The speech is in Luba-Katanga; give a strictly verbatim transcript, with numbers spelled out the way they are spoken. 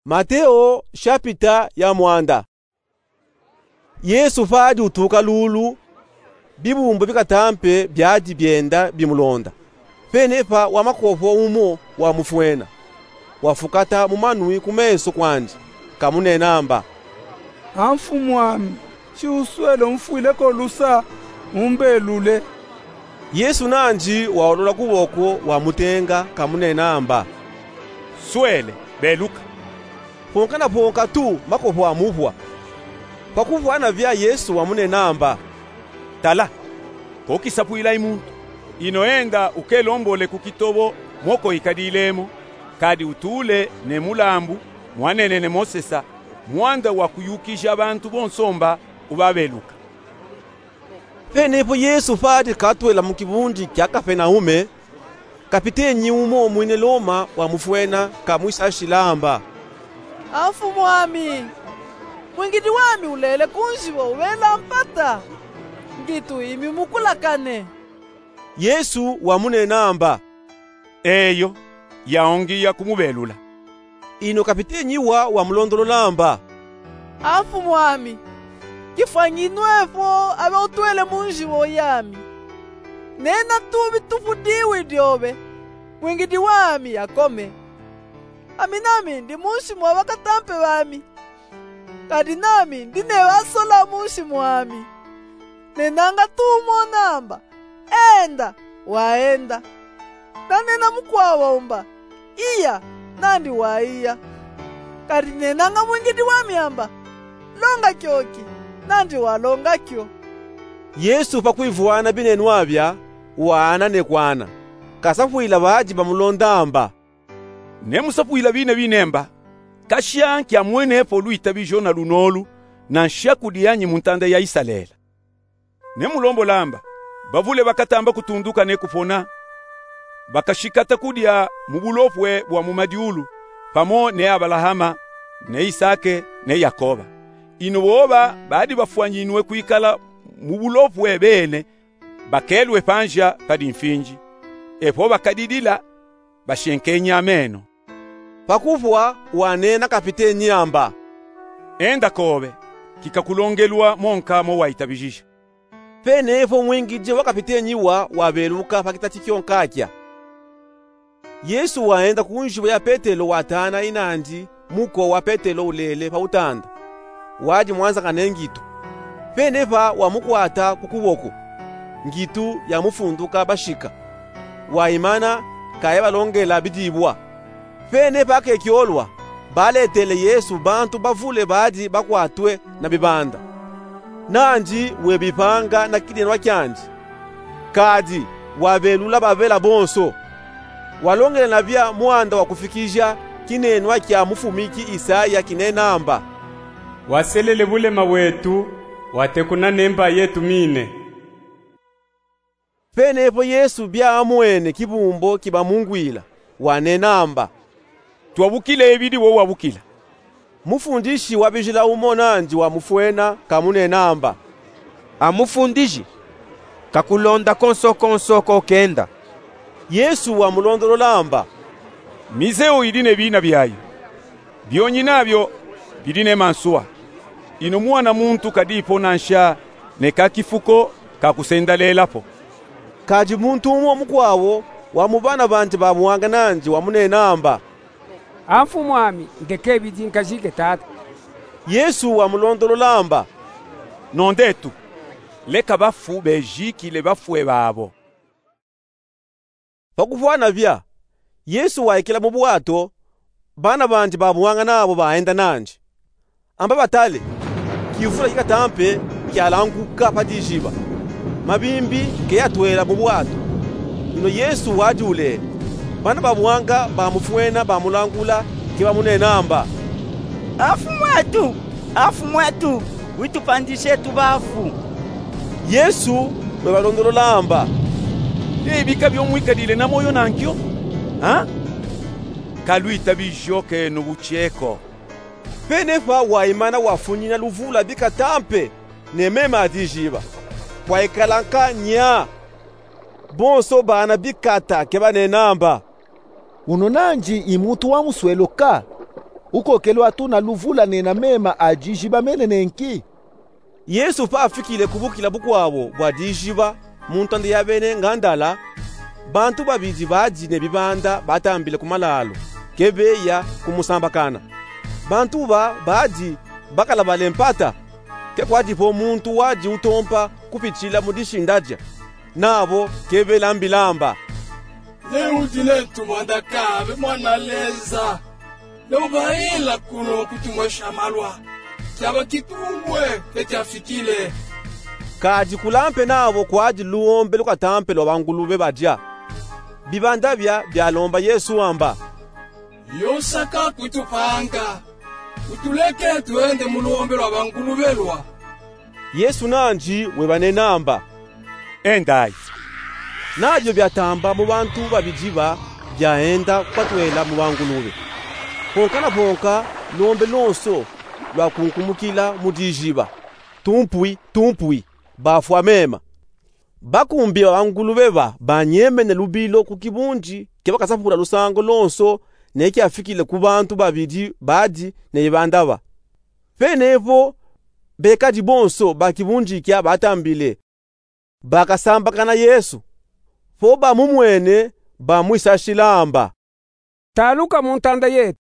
Mateo shapita ya mwanda. Yesu fadi utuka lulu, bibumbu bikatampe byadi byenda bimulonda. Pene pa wa makofo umo wamufwena, wafukata mu manwi ku meso kwandi, kamunena mba: A Mfumu'ami, si uswele umfwile ko lusa, umbelule. Yesu nandi waolola kuboko, wamutenga, kamunena mba: Swele, beluka. Ponka na ponka tu, makofo amuvwa. Pakuvwana vya, Yesu wamunena mba: Tala, ko kisapwila i muntu. Ino enda ukelombole ku kitobo mo ko ikadile mo, kadi utule ne mulambu mwanene ne Mosesa, mwanda wa kuyukija bantu bonso mba ubabeluka. Pene po Yesu fadi katwela mu kibundi kya Kapenaume, kapitenyi umo mwine Loma wamufwena, kamwisashila mba: A Mfumu'ami, mwingidi wami ulele ku njibo ubela mpata, ngitu imi mukulakane. Yesu wamunena mba: Eyo, ya ongiya kumubelula. Ino kapitenyi wa wamulondolola mba: A Mfumu'ami, kifwanyi nwe po abe utwele mu njibo yami. Nena tu bitufu diwi dyobe, mwingidi wami yakome. Ami nami ndi munsi mwa bakatampe bami, kadi nami ndi ne basola munsi mwami. Nenanga tu umona mba: Enda, waenda. Nanena mukwabo mba: Iya, nandi waiya. Kadi nenanga mwingidi wami amba: Longa kyoki, nandi walonga kyo. Yesu pakwivwana binenwa bya, waana ne kwaana, kasapwila badi bamulonda mba: Nemusapwila bine binemba, kashya nkyamwene po lwitabijo na lunolu, na nshaku dyanyi mu ntanda ya Isalele. Nemulombola mba: Bavule bakatamba kutunduka ne kupona, bakashikata kudya mu bulopwe bwa mu madyulu, pamo ne Abalahama, ne Isake, ne Yakoba. Ino boba badi bafwanyinwe kwikala mu bulopwe bene, bakelwe panzya padi mfinzi. Epo bakadidila, bashenkenyi ameno. Pakufwa wanena kapitenyi amba: Enda kobe, kikakulongelwa monka mo waitabijija. Pene po mwingidi wa kapitenyi wa wabeluka pa kitati kyonkakya. Yesu waenda ku njibo ya Petelo, watana inandi muko wa Petelo ulele pa utanda, wadi mwanzakane ngitu. Pene pa wamukwata ku kuboko, ngitu yamufunduka bashika. Waimana, kayabalongela bidibwa. Pene pa kekyolwa, baletele Yesu bantu bavule badi bakwatwe na bibanda, nandi webipanga na kinenwa kyandi. Kadi wabelula babela bonso. Walongela na bya mwanda wa kufikija kinenwa kya mufumiki Isaya kinena amba: Waselele bulema bwetu, watekuna ne mba yetu mine. Pene po Yesu bya amwene kibumbo kibamungwila, wanena amba: Twabukile ibidi wo wabukila. Mufundishi wa bijila umo nandi wamufwena, kamunena amba: A Mufundiji, kakulonda konso konso ko kenda. Yesu wamulondolola amba: Mizeu idi ne bina byayo, byonyina byo bidi ne mansuwa. Ino Mwana muntu kadipo nansha ne ka kifu ko ka kusendalela po. Kadi muntu umo mukwabo wa mu bana bandi ba buwanga nandi wamunena amba: A Mfumuami, ndeke ibidi nkajike tata. Yesu wamulondolola amba: Nondetu, leka bafu bejikile bafwe babo. Pakufwana bya, Yesu waikila mu bwato, bana bandi ba buwanga nabo baenda nandi. Amba batale, kivula kikatampe kyalanguka pa dijiba, mabimbi keyatwela mu bwato. Ino Yesu wadi ulele. Bana ba buwanga bamufwena, bamulangula, kebamunena amba: A Mfumuetu, a Mfumuetu, witupandishe etu bafu. Yesu webalondolola amba: Tebika byo mwikadile na moyo nankyo, ha? Kalwitabijo kenu butyeko. Pene pa waimana wafunyina luvula bikatampe ne mema a dijiba, kwaikala nka nya. Bonso bana bikata kebanena amba: Uno nandi i muntu wa muswelo ka? Ukokelu atu na luvula nena mema a diziba menene nki? Yesu pa afikile ku bukila bukwawu bwa diziba, mu ntanda ya bene ngandala, bantu babidi badi ne bibanda batambile ku malalu, ke beya kumusambakana. Bantu ba badi bakala bale mpata, ke kwadipo muntu wadi utompa kupitila mu dishindadia. Nabo ke belambilamba: Ne udi netu mwanda kabe mwana Leza, ne ubayila kuno kutumwesha malwa, tiaba kitumbwe ke tiafikile. Kadi kula mpe nabo kwadi luombe lukatampe lwa bangulube badia. Bibanda bia bialomba Yesu amba: Yosaka kutupanga, utuleke twende mu luombe lwa bangulube lwa. Yesu nandi webanena amba: Endayi. Na dio biatamba mu bantu babidi ba, biaenda kwatwela mu bangulube. Ponka na ponka, luombe lonso lwakunkumukila mu diziba. Tumpwi, tumpwi, bafwa mema. Bakumbi ba bangulube ba banyemene lubilo ku kibundi ke bakasapula lusangu lonso ne kiafikile ku bantu babidi badi ne bibanda ba. Pene po, bekadi bonso ba kibundi kia batambile bakasambakana Yesu. Po bamumwene, bamwisashila amba: Taluka mu ntanda yetu,